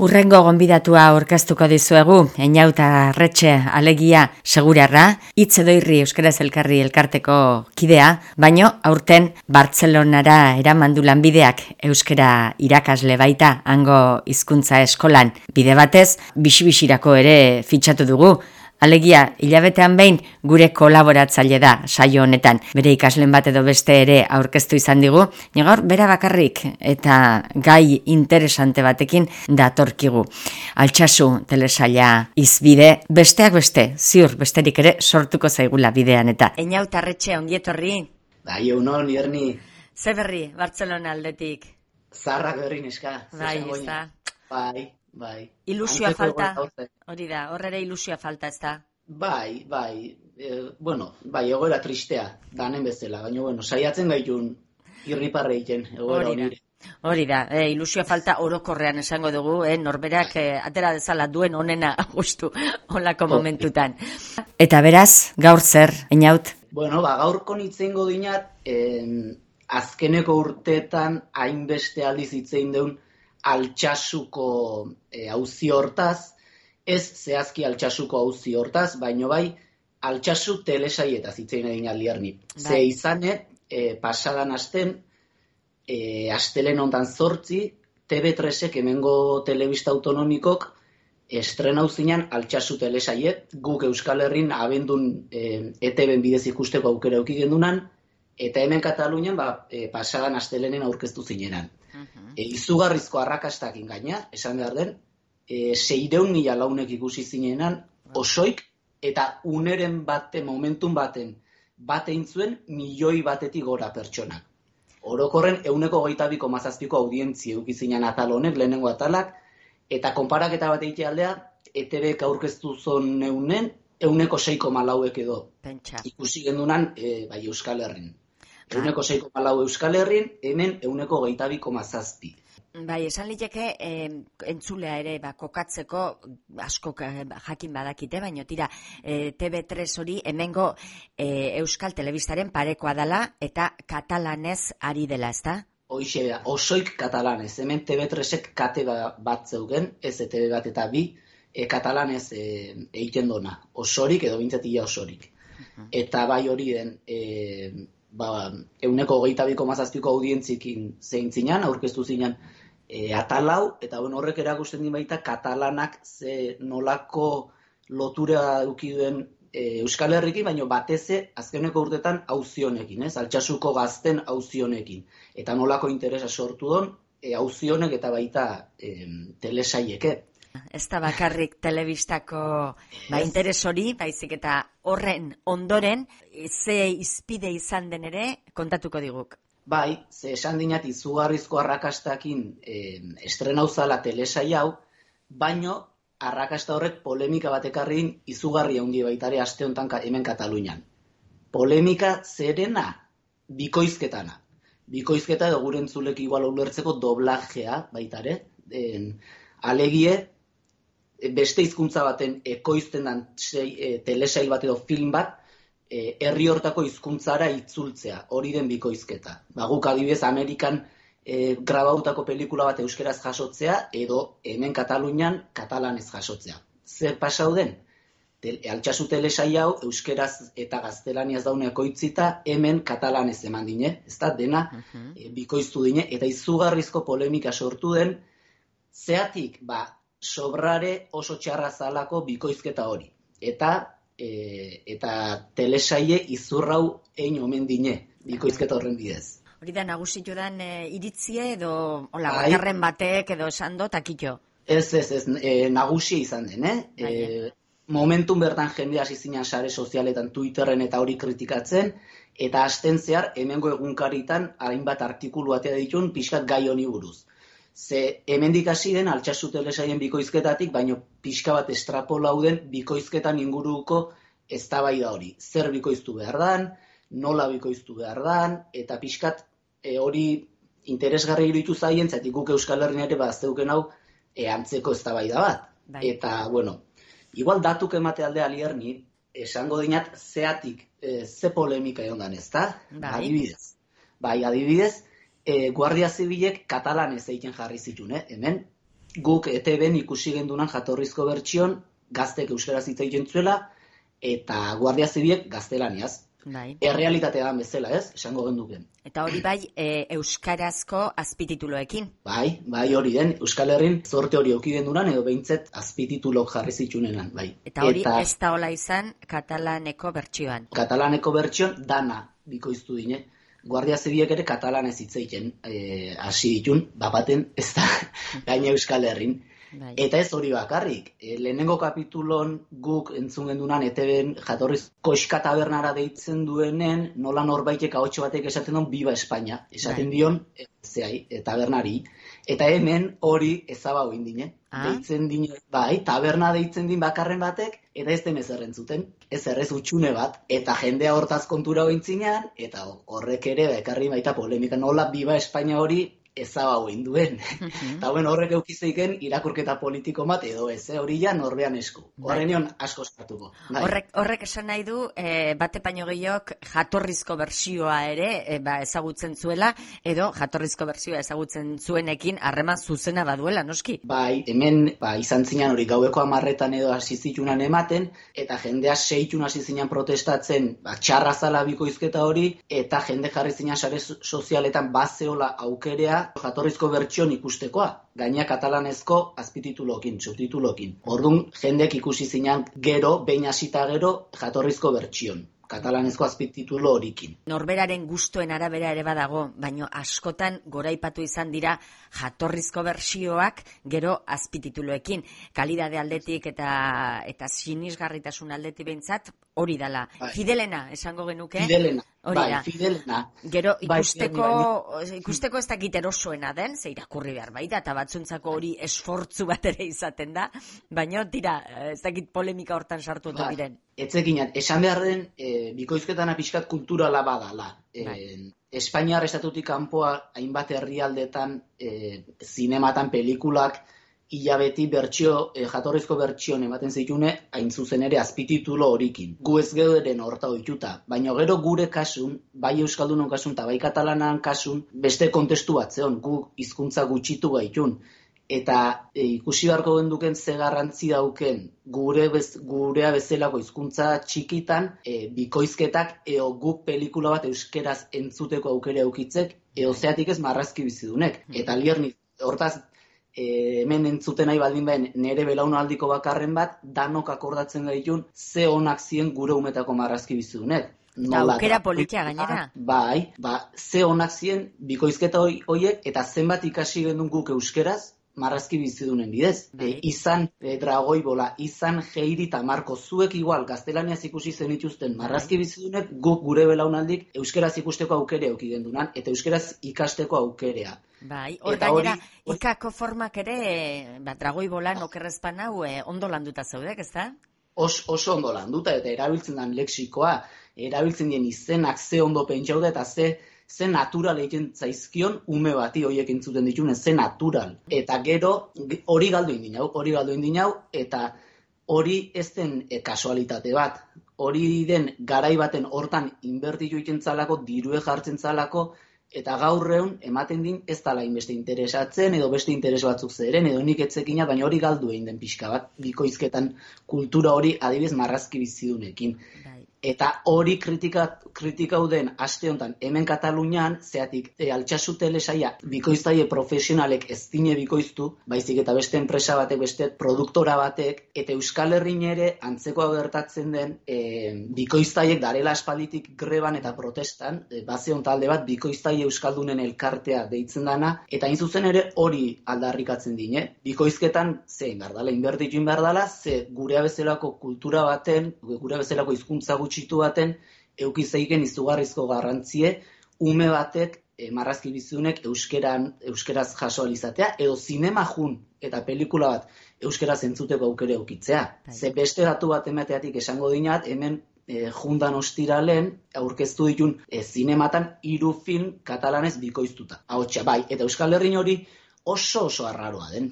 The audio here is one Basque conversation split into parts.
Urrengo gonbidatua aurkeztuko dizuegu, Eñauta Arretxe alegia segurarra, hitz edoirri Euskaraz Elkarri elkarteko kidea, baino aurten Bartzelonara eramandu lanbideak euskara irakasle baita hango hizkuntza eskolan. Bide batez, bixibixirako ere fitxatu dugu. Alegia, hilabetean behin gure kolaboratzaile da saio honetan. Bere ikaslen bat edo beste ere aurkeztu izan digu. Gaur bera bakarrik eta gai interesante batekin datorkigu. Altsasu telesaila izbide, besteak beste, ziur besterik ere sortuko zaigula bidean eta. Eñauta Arretxe, ongietorri. Bai, egunon, Ierni. Ze berri, Bartzelona aldetik. Zarrak berri neska. Bai, ez da. Bai. Ilusioa falta, hori da, horrere ilusioa falta, ez da? Bai, egoera tristea, danen bezala, baina, saiatzen gaitun irriparre egiten, egoera honire. Hori da, ilusioa falta orokorrean esango dugu, norberak atera dezala duen onena justu holako momentutan. Eta beraz, gaur zer, Eñaut? Gaurko nitzeingo dinat, azkeneko urteetan hainbeste aldiz hitzein deun Altsasuko auzi hortaz, ez zehazki Altsasuko auzi hortaz, baino bai Altsasu telesaietaz hitzein egin Ierni. Ze izane, pasadan asten, astelen hontan 8, TV3ek hemengo telebista autonomikok estrenau zinan Altsasu telesaie, guk Euskal Herrin abendun ETB-en bidez ikusteko aukera eduki gendunan, eta hemen Katalunian pasadan astelenen aurkeztu zinenan. Izugarrizko arrakastakin gaina, esan behar den, 600.000 launek ikusi zinenan, osoik, eta uneren momentun baten, batein zuen 1.000.000 batetik gora pertsonak. Orokorren 122,7ko audientzia eduki zinean atal honek, lehenengo atalak, eta konparaketa bat egitea aldea, ETBek aurkeztu zon neunen, 6,4 edo ikusi gendunan Euskal Herrin. 6,4 Euskal Herrin, hemen 22,7. Bai, esan liteke entzulea ere kokatzeko asko jakin badakite, baina tira TV3 hori hemengo Euskal Telebistaren parekoa dela eta katalanez ari dela, ezta? Hoixe da, osoik katalanez, hemen TV3ek kate bat zeugen, ez TV bat eta bi, katalanez egiten dona, osorik edo bintzatia osorik. Eta bai hori den, 22,7ko audientzikin zein zinan, aurkeztu zinan atal hau, eta horrek erakusten din baita katalanak ze nolako lotura eduki duen Euskal Herrikin, baina bateze azkeneko urtetan auzi honekin, Altsasuko gazten auzi honekin. Eta nolako interesa sortu don auzi honek eta baita telesaieke. Ez da bakarrik telebistako interes hori, baizik eta horren ondoren, ze izpide izan den ere kontatuko diguk. Bai, ze esan dinat izugarrizko arrakastakin estrenau zala telesai hau, baino arrakasta horrek polemika batekarrin izugarri handi baitare aste honetan hemen Katalunian. Polemika zerena, bikoizketana. Bikoizketa edo gure entzulek igual ulertzeko doblajea baitare, alegie, beste hizkuntza baten ekoizten den telesail bat edo film bat, herri hortako hizkuntzara itzultzea, hori den bikoizketa. Guk adibidez Amerikan grabautako pelikula bat euskeraz jasotzea, edo hemen Katalunian katalanez jasotzea. Zer pasau den? Altsasu telesai hau euskeraz eta gaztelaniaz daune ekoitzita, hemen katalanez eman dine, ez da, dena bikoiztu dine, eta izugarrizko polemika sortu den, zeatik, sobrare oso txarra zalako bikoizketa hori. Eta telesaie izurrau egin omen dine, bikoizketa horren bidez. Hori da, nagusitu den iritzie edo bakarren batek edo esan do, takito? Ez, nagusia izan den, Momentun bertan jende hasi zinan sare sozialetan, Twitterren eta hori kritikatzen, eta hasten zehar hemengo egunkaritan hainbat artikulu batea ditun pixkat gai honi buruz. Ze hemendik hasi den Altsasu telesaien bikoizketatik, baino pixka bat estrapolau den bikoizketan inguruko eztabaida hori. Zer bikoiztu behar dan, nola bikoiztu behar dan, eta pixkat hori interesgarri iruditu zaien, zatik guk Euskal Herrian ere bazteuken hau antzeko eztabaida bat. Eta, igual datuk emate aldea Ierni, esango dinat zeatik, ze polemika egon dan, ezta? Adibidez. Adibidez, Guardia Zibilek katalanez egiten jarri zituen, hemen. guk ETB-n ikusi gendunan jatorrizko bertsion gaztek euskaraz hitz egiten zuela eta Guardia Zibilek gaztelaniaz. Bai. Errealitatea da bezala, ez? Esango genduken. Eta hori bai, euskarazko azpitituluekin. Bai hori den, Euskal Herrin zorte hori eduki gendunan edo behintzet azpititulok jarri zitunenan, bai. Eta hori ez da hola izan katalaneko bertsioan. Katalaneko bertsioan dana bikoiztu dine. Guardia Zibilek ere katalanez hitz egiten hasi ditun, baten ez da gaina Euskal Herrin. Bai. Eta ez hori bakarrik. Lehenengo kapitulon guk entzun gendunan ETB-n jatorrizko Koxka tabernara deitzen duenen nola norbaitek ahotxo batek esaten duen Viva España. Esaten dion tabernari. Eta hemen hori ezabau indine. Deitzen dine, taberna deitzen din bakarren batek, eta ez den ezer entzuten, ez utxune bat, eta jendea hortaz kontura hointzinean, eta horrek ere ekarri baita polemika nola Viva España hori ezabau induen. Eta horrek eukizeiken irakurketa politiko bat edo ez, hori ja norbean esku. Horrenion asko sartuko. Horrek esan nahi du, bate paino gehiok jatorrizko bertsioa ere ezagutzen zuela, edo jatorrizko bertsioa ezagutzen zuenekin harreman zuzena baduela, noski? Bai, hemen izan zinan hori gaueko 10etan edo hasi zitunan ematen, eta jendea 6 hasi zinan protestatzen txarra zala bikoizketa hori, eta jende jarri zinan sare sozialetan bazeola aukerea jatorrizko bertsion ikustekoa, gaina katalanezko azpititulokin, subtitulokin. Orduan, jendek ikusi zinan gero, behin hasita gero, jatorrizko bertsion, katalanezko azpititulo horikin. Norberaren gustuen arabera ere badago, baino askotan goraipatu izan dira jatorrizko bertsioak gero azpitituloekin. Kalidade aldetik eta sinisgarritasun aldetik behintzat hori dala. Fidelena, esango genuke? Fidelena. Fidelena. Gero ikusteko ez dakit erosoena den, ze irakurri behar baita, eta batzuntzako hori esfortzu bat ere izaten da, baina tira, ez dakit polemika hortan sartu ote diren. Etzekinan, esan behar den, bikoizketan apiskat kulturala badala. Espainiar estatutik kanpoa hainbat herrialdetan, zinematan, pelikulak, hilabeti jatorrizko bertsioen ematen zitune, hain zuzen ere azpititulo horikin. Gu ez geuden horta ohituta, baina gero gure kasun, bai euskaldunon kasun eta bai katalanan kasun, beste kontestu bat zeon, gu hizkuntza gutxitu gaitun. Eta ikusi beharko genduken ze garrantzi dauken gurea bezalako hizkuntza txikitan, bikoizketak eo guk pelikula bat euskeraz entzuteko aukera eukitzek, eo zeatik ez marrazki bizidunek. Eta lierni, hortaz, hemen entzuten nahi baldin behin nere belaunaldiko bakarren bat, danok akordatzen gaitun ze onak zien gure umetako marrazki bizidunek. Aukera politia gainera. Bai, ze onak zien bikoizketa horiek eta zenbat ikasi gendun guk euskeraz, marrazki bizidunen bidez. Izan Dragoi Bola, izan Jeiri eta Marko, zuek igual gaztelaniaz ikusi zenituzten marrazki bizidunek guk gure belaunaldik euskeraz ikusteko aukere eduki gendunan eta euskeraz ikasteko aukerea. Bai, hor gainera ikako formak ere, Dragoi Bolan okerrezpan hau ondo landuta zaudek, ez da? Oso ondo landuta eta erabiltzen den leksikoa, erabiltzen dien izenak ze ondo pentsauda eta ze natural egiten zaizkion ume bati horiek entzuten ditune, ze natural. Eta gero hori galdu indinau, eta hori ez den kasualitate bat. Hori den garai baten hortan inbertitu egiten zalako, dirue jartzen zalako, eta gaurreun ematen din ez dala inbeste interesatzen, edo beste interes batzuk zeren, edo nik etzekina, baina hori galdu egin den pixka bat, bikoizketan kultura hori adibidez marrazki bizidunekin. Eta hori kritikau den aste honetan hemen Katalunian, zeatik Altsasu telesaia bikoiztaile profesionalek ez dine bikoiztu, baizik eta beste enpresa batek, beste produktora batek, eta Euskal Herrin ere antzekoa gertatzen den bikoiztailek darela aspalditik greban eta protestan, bazeon talde bat bikoiztaile euskaldunen elkartea deitzen dana, eta hain zuzen ere hori aldarrikatzen dine. Bikoizketan zein behar dala, inbertitu behar dala, ze gurea bezalako kultura baten, gurea bezalako hizkuntza gutxitu baten, eukizeiken izugarrizko garrantzie, ume batek marrazki bizidunek euskeraz jaso alizatea, edo zinema jun eta pelikula bat euskeraz entzuteko aukere eukitzea. Ze beste datu bat emateatik esango dinat, hemen jundan ostiralen aurkeztu ditun zinematan 3 film katalanez bikoiztuta. Ahotsa, bai, eta Euskal Herrin hori oso arraroa den,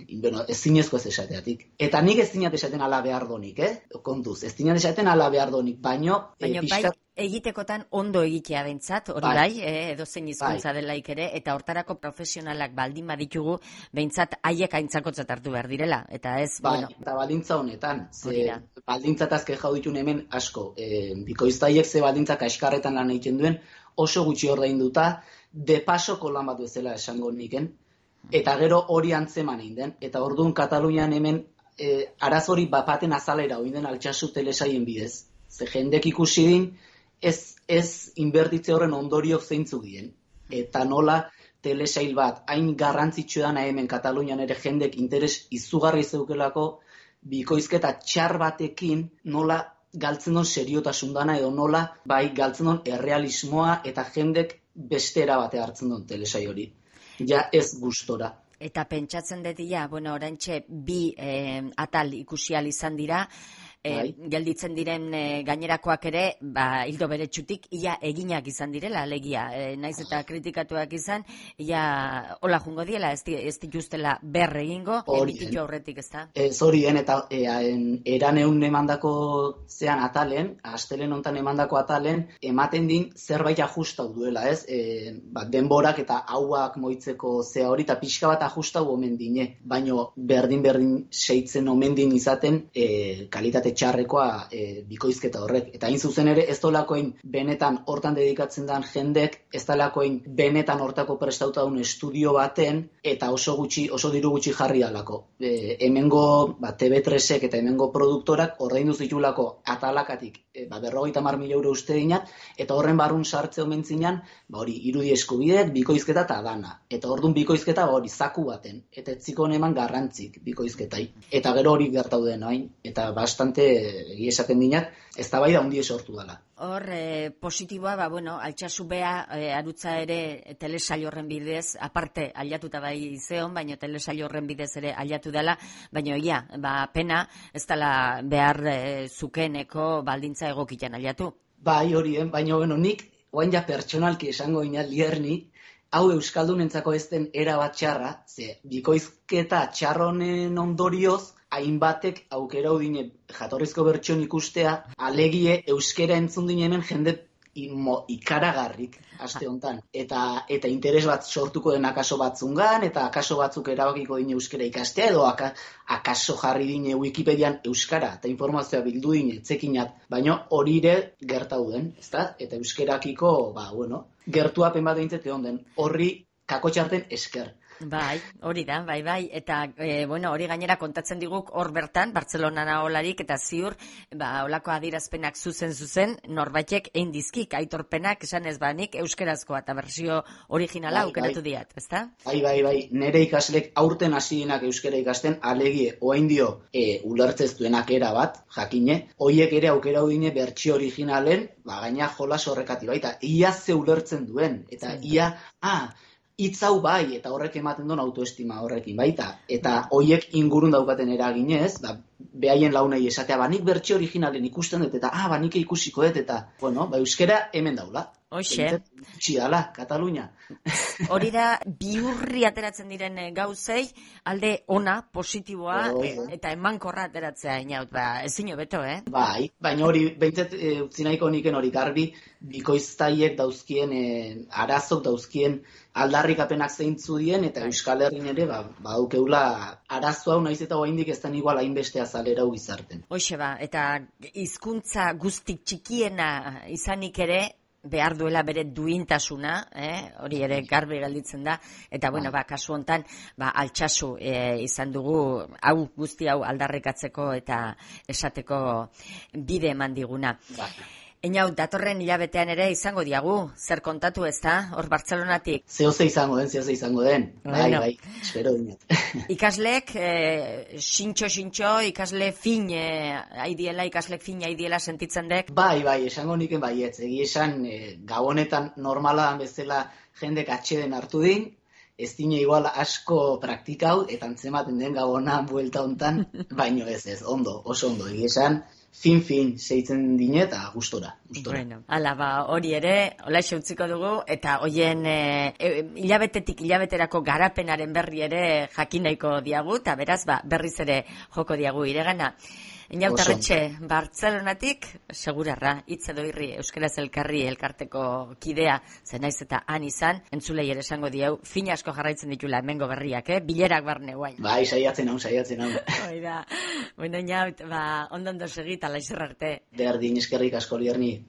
ezinezko ez esateatik. Eta nik ez dinat esaten ala behar donik, kontuz, ez dinat esaten ala behar donik, baino bai, egitekotan ondo egitea bentsat, hori bai, edozein hizkuntza delaik ere, eta hortarako profesionalak baldin baditugu, bentsat haiek aintzakotzat hartu behar direla, eta ez, bueno. Eta baldintza honetan, baldintzatazke jau ditun hemen asko, bikoiztaiek ze baldintza kaskarretan lan egiten duen, oso gutxi ordainduta, de pasoko lan bat bezala esango niken, eta gero hori antzeman egin den, eta orduan Katalunian hemen arazori bapaten azalera oin den Altsasu telesaien bidez. Ze jendek ikusi din, ez inbertitze horren ondoriok zeintzuk dien. Eta nola telesail bat, hain garrantzitsua dana hemen Katalunian ere jendek interes izugarri zeukelako, bikoizketa txar batekin nola galtzen don seriotasun dana, edo nola bai galtzen don errealismoa eta jendek bestera bate hartzen don telesail hori. Ja ez gustora. Eta pentsatzen dut, bueno, oraintxe bi atal ikusial izan dira, gelditzen diren gainerakoak ere, hildo beretsutik, ia eginak izan direla, alegia, naiz eta kritikatuak izan, ia hola jungo diela, ez dituztela berre egingo, emititu aurretik, ez da? Ez horien, eta eraneun emandako zean atalen, astelen hontan emandako atalen, ematen din zerbait ajustau duela, ez? Denborak eta hauak moitzeko zea hori, eta pixka bat ajustau omen dine, baino berdin seitzen omen din izaten kalitate txarrekoa bikoizketa horrek. Eta hain zuzen ere ez dolakoin benetan hortan dedikatzen den jendek, ez dolakoin benetan hortako prestauta duen estudio baten, eta oso diru gutxi jarri alako. Hemengo TV3ek eta hemengo produktorak ordaindu zitulako atalakatik 50.000 euro uste dinat, eta horren barrun sartze omen zinan, hori irudi eskubideak, bikoizketa eta dana. Eta orduan bikoizketa hori zaku baten, eta etziko eman garrantzik bikoizketai. Eta gero hori gertau den hain, eta bastante esaten dinat, ez da bai da hundi sortu dela. Hor, positiboa, Altsasu bea arutza ere telesail horren bidez, aparte aliatuta bai zeon, baina telesail horren bidez ere aliatu dela, baina pena ez dela behar zukeneko baldintza egokitan aliatu. Bai, horien, baina nik, oain ja pertsonalki esango ina lierni, hau euskaldunentzako ez den era bat txarra, ze bikoizketa txarronen ondorioz, hainbatek aukera udine jatorrizko bertsion ikustea, alegie euskera entzun dine hemen jende ikaragarrik aste hontan. Eta interes bat sortuko den akaso batzungan, eta akaso batzuk erabakiko dine euskera ikastea, edo akaso jarri dine Wikipedian euskara, eta informazioa bildu dine etzekinat, baina hori ere gertau den, ezta? Eta euskerakiko, gertuapen bat eintzete honden, horri kakotxarten esker. Bai, hori da, bai, eta hori gainera kontatzen diguk hor bertan, Bartzelonara holarik, eta ziur, holako adirazpenak zuzen, norbaitek egin dizkik, aitorpenak, esan ez nik euskerazkoa eta bersio originala aukeratu diat, ezta? Bai, nere ikaslek aurten hasienak euskera ikasten, alegie, oain dio, ulertzez duenak era bat, jakine, hoiek ere aukera udine bertsio originalen, gaina jolas horrekati baita, ia ze ulertzen duen, eta ia, hitz hau bai, eta horrek ematen duen autoestima horrekin baita. Eta hoiek ingurun daukaten eraginez, behaien launei esatea, nik bertsio originalen ikusten dut, eta nik ikusiko dut, eta, euskera hemen daula. Hoxe. Txidala, Katalunia. Hori da, bihurri ateratzen diren gauzei, alde ona, positiboa, eta emankorra ateratzea inaut, ezin hobeto, Bai, baina hori, behintzat, utzi nahiko niken hori garbi, bikoiztaiek dauzkien, arazok dauzkien aldarrikapenak zeintzu dien, eta Euskal Herrin ere, daukeula arazo hau naiz eta oraindik ez den igual hainbeste azalera gizarten. Hoxe eta hizkuntza guztik txikiena izanik ere, behar duela bere duintasuna, hori ere garbi galditzen da, eta kasu hontan, Altsasu izan dugu, guzti hau aldarrikatzeko eta esateko bide eman diguna. Einau, datorren hilabetean ere izango diagu, zer kontatu ez da, hor Bartzelonatik? Zehose izango den, bai, espero dinat. Ikasleek, sintxo, ikasle fin aidiela sentitzen dek? Bai, esango niken baietz, esan gabonetan normala bezala jendek atxeden hartu din, ez dine igual asko praktikau, eta antzematen den gabona buelta hontan, baino ez, oso ondo, esan, fin, seitzen dine eta gustora. Hori ere, holaxe utziko dugu, eta hoien hilabetetik hilabeterako garapenaren berri ere jakinaiko diagu, eta beraz, berriz ere joko diagu iregana. Inautarretxe, Bartzelonatik, segurarra, hitz edo irri Euskaraz Elkarri elkarteko kidea, zen naiz eta han izan, entzulei ere esango dieu, fin asko jarraitzen ditula hemengo berriak, bilerak barne guain. Bai, saiatzen hau. Oida, bueno, Inaut, ondo segita, laizzer arte. Berdin eskerrik asko Lierni.